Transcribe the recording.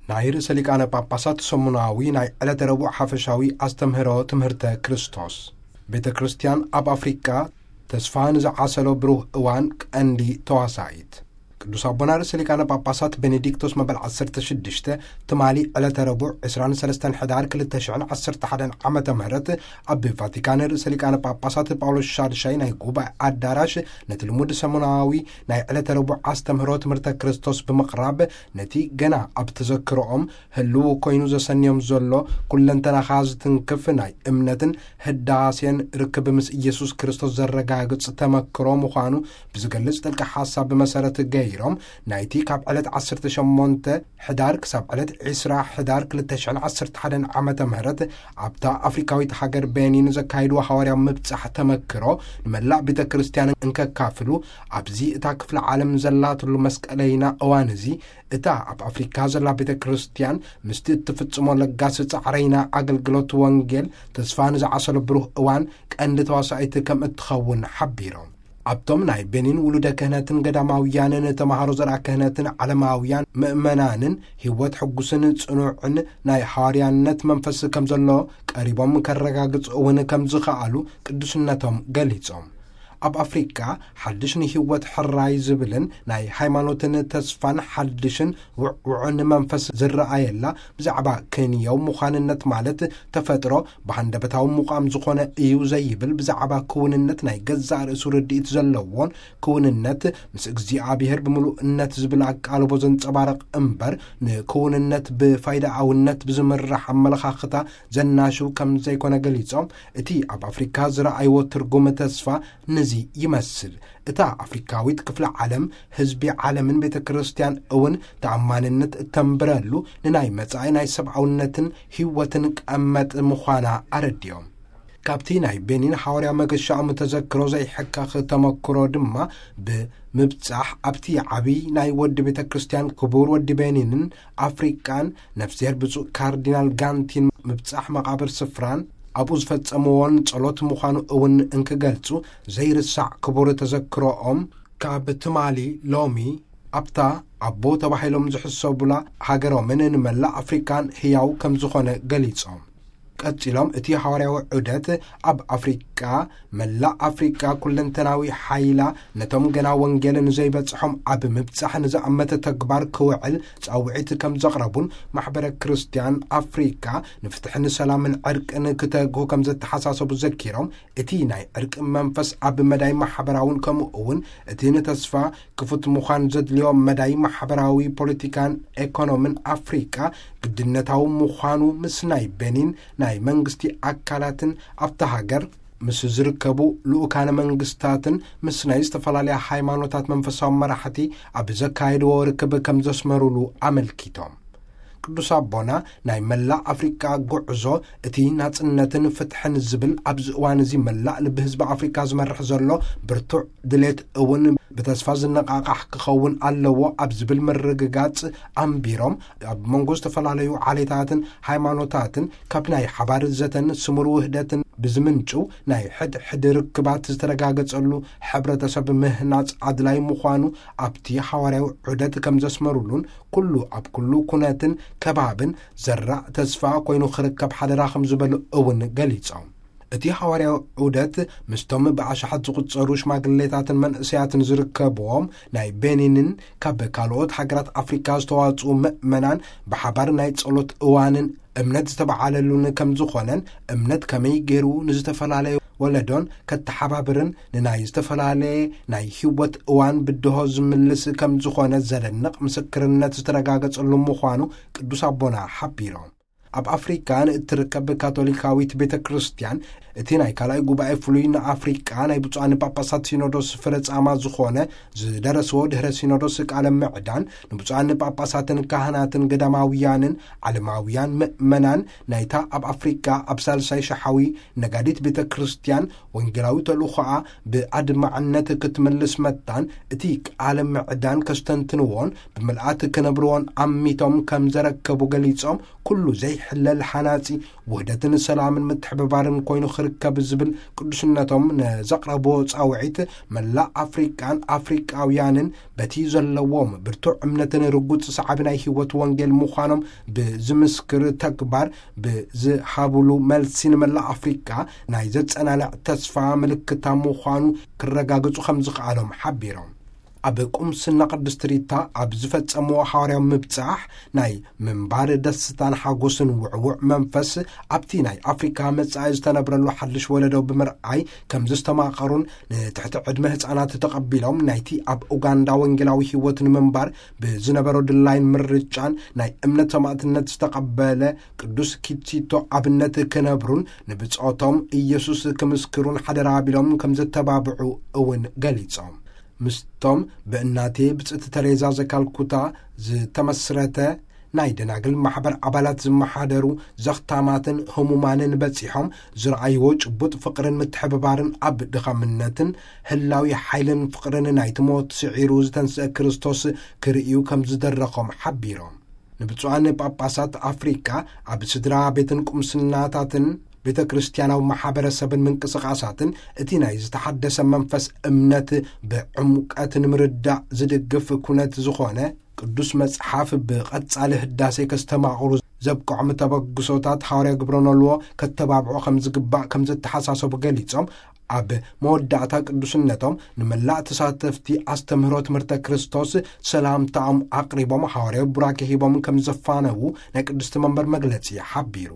ናይ ርእሰ ሊቃነ ጳጳሳት ሰሙናዊ ናይ ዕለተ ረቡዕ ሓፈሻዊ ኣስተምህሮ ትምህርተ ክርስቶስ። ቤተ ክርስቲያን ኣብ ኣፍሪቃ ተስፋ ንዝዓሰሎ ብሩህ እዋን ቀንዲ ተዋሳኢት። ቅዱስ ኣቦና ርእሰ ሊቃነ ጳጳሳት ቤኔዲክቶስ መበል ዓሰርተ ሽዱሽተ ትማሊ ዕለተ ረቡዕ ዕስራን ሰለስተን ሕዳር ክልተ ሽሕን ዓሰርተ ሓደን ዓመተ ምህረት ኣብ ቫቲካን ርእሰ ሊቃነ ጳጳሳት ጳውሎስ ሻድሻይ ናይ ጉባኤ ኣዳራሽ ነቲ ልሙድ ሰሙናዊ ናይ ዕለተ ረቡዕ ኣስተምህሮ ትምህርተ ክርስቶስ ብምቕራብ፣ ነቲ ገና ኣብ ተዘክሮኦም ህልው ኮይኑ ዘሰንዮም ዘሎ ኩለንተናኻ ዝትንክፍ ናይ እምነትን ህዳሴን ርክብ ምስ ኢየሱስ ክርስቶስ ዘረጋግጽ ተመክሮ ምዃኑ ብዝገልጽ ጥልቂ ሓሳብ መሰረት ገይሮም፣ ናይቲ ካብ ዕለት ዓሰርተ ሸሞንተ ሕዳር ክሳብ ዕለት ዕስራ ሕዳር ክልተ ሽሕን ዓሰርተ ሓደን ዓመተ ምህረት ኣብታ ኣፍሪካዊት ሃገር ቤኒን ዘካይድዎ ሃዋርያዊ ምብጻሕ ተመክሮ ንመላእ ቤተ ክርስቲያን እንከካፍሉ፣ ኣብዚ እታ ክፍለ ዓለም ዘላትሉ መስቀለይና እዋን እዚ፣ እታ ኣብ ኣፍሪካ ዘላ ቤተ ክርስቲያን ምስቲ እትፍጽሞ ለጋስ ጻዕረይና ኣገልግሎት ወንጌል ተስፋ ንዝዓሰሎ ብሩህ እዋን ቀንዲ ተዋሳኢት ከም እትኸውን ሓቢሮም። ኣብቶም ናይ ቤኒን ውሉደ ክህነትን ገዳማውያንን ተማሃሮ ዘርኣ ክህነትን ዓለማውያን ምእመናንን ህይወት ሕጉስን ጽኑዕን ናይ ሃዋርያነት መንፈስ ከም ዘሎ ቀሪቦም ከረጋግጽ እውን ከም ዝኸኣሉ ቅዱስነቶም ገሊጾም። ኣብ ኣፍሪቃ ሓድሽ ንህይወት ሕራይ ዝብልን ናይ ሃይማኖትን ተስፋን ሓድሽን ውዕውዕን መንፈስ ዝረኣየላ፣ ብዛዕባ ክንየው ምዃንነት ማለት ተፈጥሮ ብሃንደበታዊ ምቋም ዝኾነ እዩ ዘይብል፣ ብዛዕባ ክውንነት ናይ ገዛእ ርእሱ ርድኢት ዘለዎን ክውንነት ምስ እግዚኣብሔር ብምሉእነት ዝብል ኣቃልቦ ዘንጸባርቕ እምበር፣ ንክውንነት ብፋይዳኣውነት ብዝምራሕ ኣመለኻኽታ ዘናሽው ከም ዘይኮነ ገሊጾም፣ እቲ ኣብ ኣፍሪካ ዝረኣይዎ ትርጉም ተስፋ ነዚ ይመስል። እታ ኣፍሪካዊት ክፍለ ዓለም፣ ህዝቢ ዓለምን ቤተ ክርስቲያን እውን ተኣማንነት እተንብረሉ ንናይ መጻኢ ናይ ሰብኣውነትን ህይወትን ቀመጥ ምዃና ኣረዲኦም። ካብቲ ናይ ቤኒን ሃዋርያ መገሻኦም ተዘክሮ ዘይሕከኽ ተመክሮ ድማ ብምብጻሕ ኣብቲ ዓብዪ ናይ ወዲ ቤተ ክርስቲያን ክቡር ወዲ ቤኒንን ኣፍሪቃን ነፍስሔር ብፁዕ ካርዲናል ጋንቲን ምብጻሕ መቓብር ስፍራን ኣብኡ ዝፈጸምዎን ጸሎት ምዃኑ እውን እንክገልጹ ዘይርሳዕ ክቡር ተዘክሮኦም ካብ ትማሊ ሎሚ ኣብታ ኣቦ ተባሂሎም ዝሕሰቡላ ሃገሮምን ንመላእ ኣፍሪቃን ህያው ከም ዝኾነ ገሊጾም። ቀጺሎም እቲ ሃዋርያዊ ዑደት ኣብ ኣፍሪቃ፣ መላእ ኣፍሪቃ ኩለንተናዊ ሓይላ ነቶም ገና ወንጌል ንዘይበጽሖም ኣብ ምብጻሕ ንዝኣመተ ተግባር ክውዕል ጻውዒት ከም ዘቕረቡን ማሕበረ ክርስቲያን ኣፍሪቃ ንፍትሕን ሰላምን ዕርቅን ክተግሁ ከም ዘተሓሳሰቡ ዘኪሮም፣ እቲ ናይ ዕርቂ መንፈስ ኣብ መዳይ ማሕበራውን ከምኡ እውን እቲ ንተስፋ ክፉት ምዃን ዘድልዮ መዳይ ማሕበራዊ፣ ፖለቲካን ኤኮኖምን ኣፍሪቃ ግድነታዊ ምዃኑ ምስ ናይ ቤኒን ናይ መንግስቲ ኣካላትን ኣብታ ሃገር ምስ ዝርከቡ ልኡካነ መንግስታትን ምስ ናይ ዝተፈላለያ ሃይማኖታት መንፈሳዊ መራሕቲ ኣብ ዘካየድዎ ርክብ ከም ዘስመሩሉ ኣመልኪቶም። ቅዱስ ኣቦና ናይ መላእ ኣፍሪቃ ጉዕዞ እቲ ናጽነትን ፍትሕን ዝብል ኣብዚ እዋን እዚ መላእ ልቢ ህዝቢ ኣፍሪቃ ዝመርሕ ዘሎ ብርቱዕ ድሌት እውን ብተስፋ ዝነቓቓሕ ክኸውን ኣለዎ ኣብ ዝብል ምርግጋጽ ኣንቢሮም፣ ኣብ መንጎ ዝተፈላለዩ ዓሌታትን ሃይማኖታትን ካብ ናይ ሓባር ዘተን ስሙር ውህደትን ብዝምንጩ ናይ ሕድሕድ ርክባት ዝተረጋገጸሉ ሕብረተሰብ ምህናጽ ኣድላይ ምዃኑ ኣብቲ ሃዋርያዊ ዑደት ከም ዘስመሩሉን፣ ኩሉ ኣብ ኩሉ ኩነትን ከባብን ዘራእ ተስፋ ኮይኑ ክርከብ ሓደራ ከም ዝበሉ እውን ገሊጾም። እቲ ሃዋርያዊ ዑደት ምስቶም ብኣሽሓት ዝቑጸሩ ሽማግሌታትን መንእሰያትን ዝርከብዎም ናይ ቤኒንን ካብ ካልኦት ሃገራት ኣፍሪካ ዝተዋጽኡ ምእመናን ብሓባር ናይ ጸሎት እዋንን እምነት ዝተበዓለሉን ከም ዝኾነን፣ እምነት ከመይ ገይሩ ንዝተፈላለየ ወለዶን ከተሓባብርን ንናይ ዝተፈላለየ ናይ ህይወት እዋን ብድሆ ዝምልስ ከም ዝኾነ ዘደንቕ ምስክርነት ዝተረጋገጸሉ ምዃኑ ቅዱስ ኣቦና ሓቢሮም። ኣብ ኣፍሪካ ንእትርከብ ካቶሊካዊት ቤተ ክርስቲያን፣ እቲ ናይ ካልኣይ ጉባኤ ፍሉይ ንኣፍሪቃ ናይ ብፁዓን ጳጳሳት ሲኖዶስ ፍረ ጻማ ዝኾነ ዝደረስዎ ድህረ ሲኖዶስ ቃለ ምዕዳን፣ ንብፁዓን ጳጳሳትን ካህናትን ገዳማውያንን ዓለማውያን ምእመናን ናይታ ኣብ ኣፍሪቃ ኣብ ሳልሳይ ሸሓዊ ነጋዲት ቤተ ክርስቲያን ወንጌላዊ ተልእኾኣ ብኣድማዕነት ክትምልስ መታን፣ እቲ ቃለ ምዕዳን ከስተንትንዎን ብምልኣት ክነብርዎን ኣሚቶም ከም ዘረከቡ ገሊጾም፣ ኩሉ ዘይሕለል ሓናጺ ውህደትን ሰላምን ምትሕብባርን ኮይኑ ርከብ ዝብል ቅዱስነቶም ንዘቕረቦ ጻውዒት፣ መላእ ኣፍሪቃን ኣፍሪቃውያንን በቲ ዘለዎም ብርቱዕ እምነትን ርጉጽ ሰዓቢ ናይ ህይወት ወንጌል ምዃኖም ብዝምስክር ተግባር ብዝሃብሉ መልሲ፣ ንመላእ ኣፍሪቃ ናይ ዘጸናንዕ ተስፋ ምልክታ ምዃኑ ክረጋግጹ ከም ዝኸኣሎም ሓቢሮም። ኣብ ቁምስና ቅድስት ሪታ ኣብ ዝፈጸምዎ ሓዋርያዊ ምብጻሕ፣ ናይ ምንባር ደስታን ሓጎስን ውዕውዕ መንፈስ ኣብቲ ናይ ኣፍሪካ መጻኢ ዝተነብረሉ ሓድሽ ወለዶ ብምርኣይ ከም ዘስተማቐሩን፣ ንትሕቲ ዕድመ ህጻናት ተቐቢሎም ናይቲ ኣብ ኡጋንዳ ወንጌላዊ ህይወት ንምንባር ብዝነበሮ ድላይን ምርጫን ናይ እምነት ሰማዕትነት ዝተቐበለ ቅዱስ ኪቲቶ ኣብነት ክነብሩን ንብጾቶም ኢየሱስ ክምስክሩን ሓደራ ቢሎም ከም ዘተባብዑ እውን ገሊጾም። ምስቶም ብእናቴ ብጽእቲ ተሬዛ ዘካልኩታ ዝተመስረተ ናይ ደናግል ማሕበር ኣባላት ዝመሓደሩ ዘኽታማትን ህሙማንን በጺሖም ዝረኣይዎ ጭቡጥ ፍቕርን ምትሕብባርን፣ ኣብ ድኻምነትን ህላዊ ሓይልን ፍቕርን ናይቲ ሞት ስዒሩ ዝተንስአ ክርስቶስ ክርእዩ ከም ዝደረኾም ሓቢሮም። ንብፁዓን ጳጳሳት ኣፍሪቃ ኣብ ስድራ ቤትን ቁምስናታትን ቤተ ክርስቲያናዊ ማሕበረሰብን ምንቅስቓሳትን እቲ ናይ ዝተሓደሰ መንፈስ እምነት ብዕምቀት ንምርዳእ ዝድግፍ ኩነት ዝኾነ ቅዱስ መጽሓፍ ብቐጻሊ ህዳሴ ከስተማቕሩ ዘብቅዖም ተበግሶታት ሓዋርያ ግብረ ኖልዎ ከተባብዖ ከም ዝግባእ ከም ዘተሓሳሰቡ ገሊጾም፣ ኣብ መወዳእታ ቅዱስነቶም ንመላእ ተሳተፍቲ ኣስተምህሮ ትምህርተ ክርስቶስ ሰላምታኦም ኣቕሪቦም፣ ሓዋርያዊ ቡራኬ ሂቦም ከም ዘፋነዉ ናይ ቅድስቲ መንበር መግለጺ ሓቢሩ።